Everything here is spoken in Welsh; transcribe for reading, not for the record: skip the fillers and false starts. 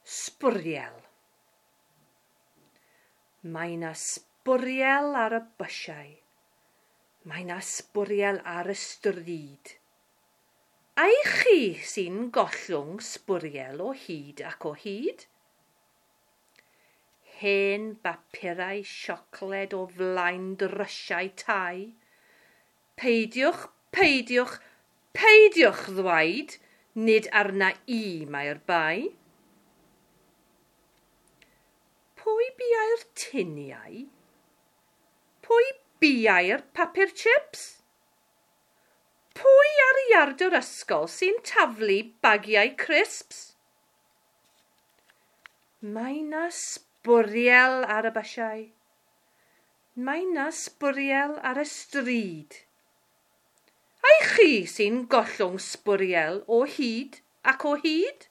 Sbwriel. Mae 'na sbwriel ar y bysiau. Mae 'na sbwriel ar y stryd. Ai chi sy'n gollwng sbwriel o hyd ac o hyd? Hen bapurau siocled o flaen drysiau tai. Peidiwch, peidiwch, peidiwch ddweud, nid arna i mae'r bai. Pwy biau'r tuniau? Pwy biau'r papur chips? Pwy ar iard yr ysgol sy'n taflu bagiau crisps? Mae 'na sbwriel ar y bysiau. Mae 'na sbwriel ar y stryd. Ai chi sy'n gollwng sbwriel o hyd ac o hyd?